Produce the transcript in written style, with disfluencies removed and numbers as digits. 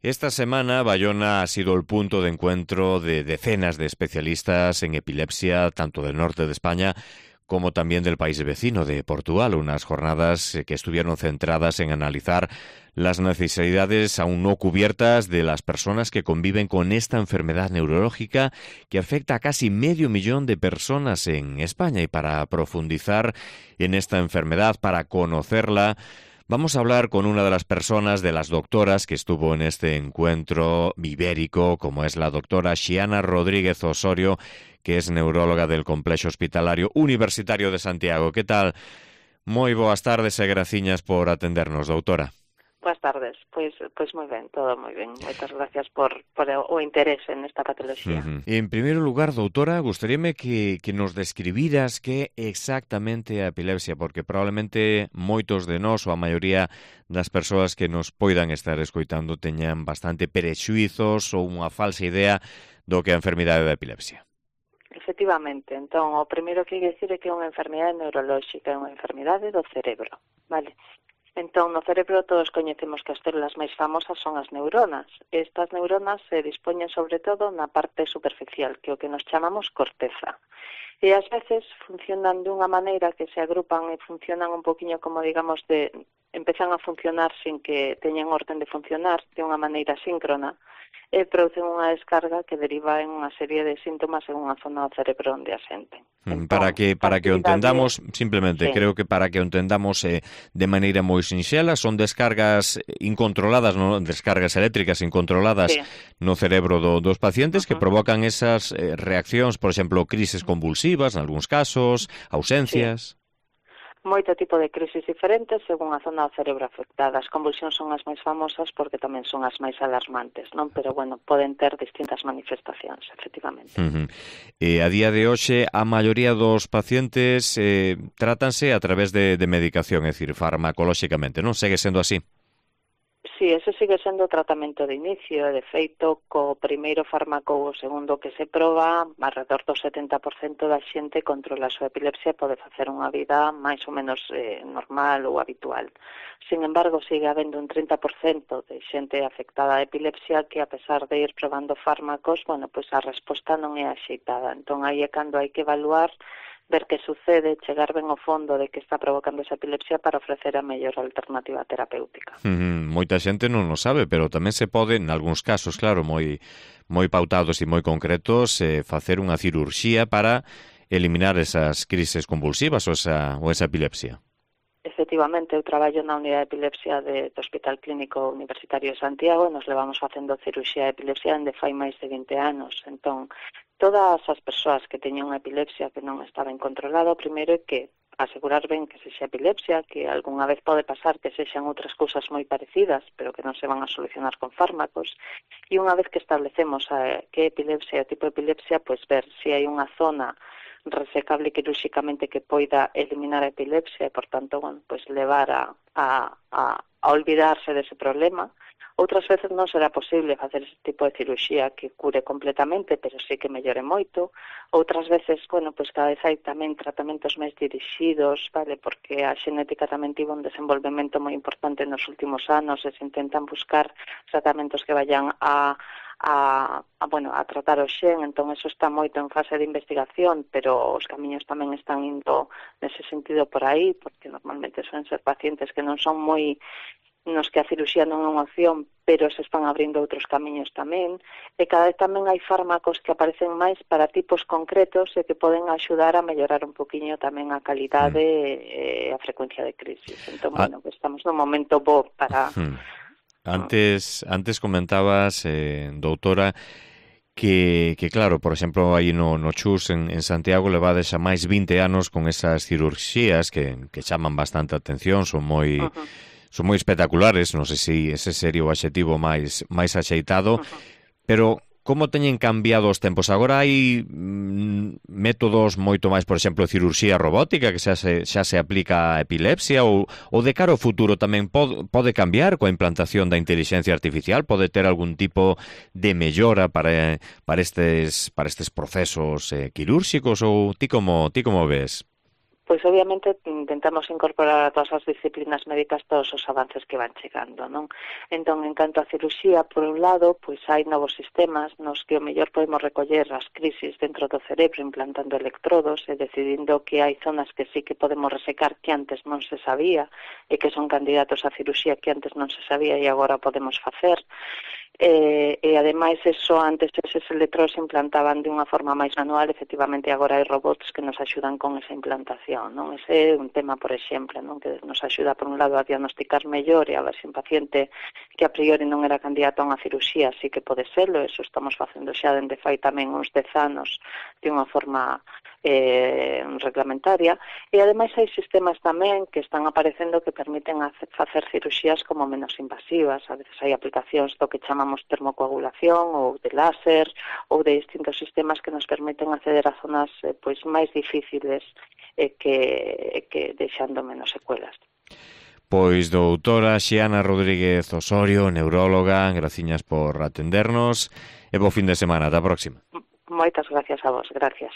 Esta semana Bayona ha sido el punto de encuentro de decenas de especialistas en epilepsia, tanto del norte de España como también del país vecino de Portugal, unas jornadas que estuvieron centradas en analizar las necesidades aún no cubiertas de las personas que conviven con esta enfermedad neurológica que afecta a casi 500.000 de personas en España. Y para profundizar en esta enfermedad, para conocerla, vamos a hablar con una de las personas, de las doctoras que estuvo en este encuentro ibérico, como es la doctora Xiana Rodríguez Osorio, que es neuróloga del Complexo Hospitalario Universitario de Santiago. Que tal? Moi boas tardes e graciñas por atendernos, doutora. Boas tardes, pois moi ben, todo moi ben. Moitas gracias por o interese nesta patoloxía. En primeiro lugar, doutora, gustaríame que nos describiras que exactamente a epilepsia, porque probablemente moitos de nós, ou a maioría das persoas que nos poidan estar escoitando, teñan bastante prexuizos ou unha falsa idea do que é a enfermidade da epilepsia. Efectivamente, entón, o primeiro que hai que dicir é que é unha enfermidade neurolóxica, é unha enfermidade do cerebro, vale? Entón, no cerebro todos coñecemos que as células máis famosas son as neuronas. Estas neuronas se dispoñen sobre todo na parte superficial, que é o que nos chamamos corteza. E ás veces funcionan dunha maneira que se agrupan e funcionan un poquinho como, digamos, empezan a funcionar sin que teñan orden de funcionar, de unha maneira síncrona, e producen unha descarga que deriva en unha serie de síntomas en unha zona do cerebro onde asenten. Entón, para que o entendamos, simplemente, sí. Creo que para que o entendamos de maneira moi sinxela, son descargas incontroladas, non? Descargas eléctricas incontroladas, sí, no cerebro dos pacientes que provocan esas reaccións, por exemplo, crises convulsivas, en algúns casos, ausencias. Sí. Moito tipo de crisis diferentes según a zona do cerebro afectada. As convulsións son as máis famosas porque tamén son as máis alarmantes, non? Pero, bueno, poden ter distintas manifestacións, efectivamente. A día de hoxe, a maioría dos pacientes trátanse a través de medicación, é dicir, farmacolóxicamente, non? Segue sendo así? Sí, ese sigue sendo o tratamento de inicio. De feito, co primeiro fármaco ou o segundo que se proba, alrededor do 70% da xente controla a súa epilepsia e pode facer unha vida máis ou menos normal ou habitual. Sin embargo, sigue habendo un 30% de xente afectada a epilepsia que, a pesar de ir probando fármacos, bueno, pois a resposta non é axeitada. Entón, aí é cando hai que evaluar, ver que sucede, chegar ben ao fondo de que está provocando esa epilepsia para ofrecer a mellor alternativa terapéutica. Moita xente non o sabe, pero tamén se pode, en algúns casos, claro, moi pautados e moi concretos, facer unha cirurxía para eliminar esas crises convulsivas ou esa epilepsia. Efectivamente, eu traballo na unidade de epilepsia do Hospital Clínico Universitario de Santiago e nos levamos facendo cirurxía de epilepsia dende fai máis de 20 anos. Entón, todas as persoas que teñen unha epilepsia que non está ben controlada, o primeiro é que asegurar ben que sexa epilepsia, que algunha vez pode pasar que sexan outras cousas moi parecidas, pero que non se van a solucionar con fármacos. E unha vez que establecemos que epilepsia é o tipo de epilepsia, pois ver se hai unha zona resecable quirúrxicamente que poida eliminar a epilepsia e, por tanto, bueno, pues levar a olvidarse dese problema. Outras veces non será posible facer ese tipo de cirurxía que cure completamente, pero sí que mellore moito. Outras veces, bueno, pues cada vez hai tamén tratamentos máis dirixidos, vale, porque a xenética tamén tivo un desenvolvemento moi importante nos últimos anos e se intentan buscar tratamentos que vayan a tratar o xen, entón eso está moito en fase de investigación, pero os camiños tamén están indo nese sentido por aí, porque normalmente suelen ser pacientes que non son moi nos que a cirurxía non é unha opción, pero se están abrindo outros camiños tamén, e cada vez tamén hai fármacos que aparecen máis para tipos concretos e que poden axudar a mellorar un poquinho tamén a calidade e a frecuencia de crisis. Entón, bueno, estamos nun momento bo para... Antes comentabas, doutora, que claro, por exemplo, aí no CHUS en Santiago levades a máis 20 anos con esas cirurxías que chaman bastante atención, son moi espectaculares, non sei se ese sería o adxetivo máis axeitado, pero como teñen cambiado os tempos? Agora hai métodos moito máis, por exemplo, cirurxía robótica que xa se aplica a epilepsia ou de cara ao futuro tamén pode cambiar coa implantación da inteligencia artificial, pode ter algún tipo de mellora para estes procesos quirúrxicos ou ti como ves? Pois obviamente intentamos incorporar a todas as disciplinas médicas todos os avances que van chegando, non? Entón, en canto a cirurxía, por un lado, pois hai novos sistemas nos que o mellor podemos recoller as crisis dentro do cerebro implantando electrodos e decidindo que hai zonas que sí que podemos resecar que antes non se sabía e que son candidatos a cirurxía que antes non se sabía e agora podemos facer. E ademais eso antes eses electrodos se implantaban de unha forma máis manual, efectivamente agora hai robots que nos axudan con esa implantación, non? Ese é un tema, por exemplo, non? Que nos axuda por un lado a diagnosticar mellor e a ver se un paciente que a priori non era candidato a unha cirurxía sí que pode serlo, eso estamos facendo xa dende fai tamén uns 10 anos de unha forma reglamentaria, e ademais hai sistemas tamén que están aparecendo que permiten facer cirurxías como menos invasivas. A veces hai aplicacións do que chamamos termocoagulación ou de láser ou de distintos sistemas que nos permiten acceder a zonas pois máis difíciles que deixando menos secuelas. Pois doutora Xiana Rodríguez Osorio, neuróloga, graciñas por atendernos e bo fin de semana, ata a próxima. Moitas gracias a vos, gracias.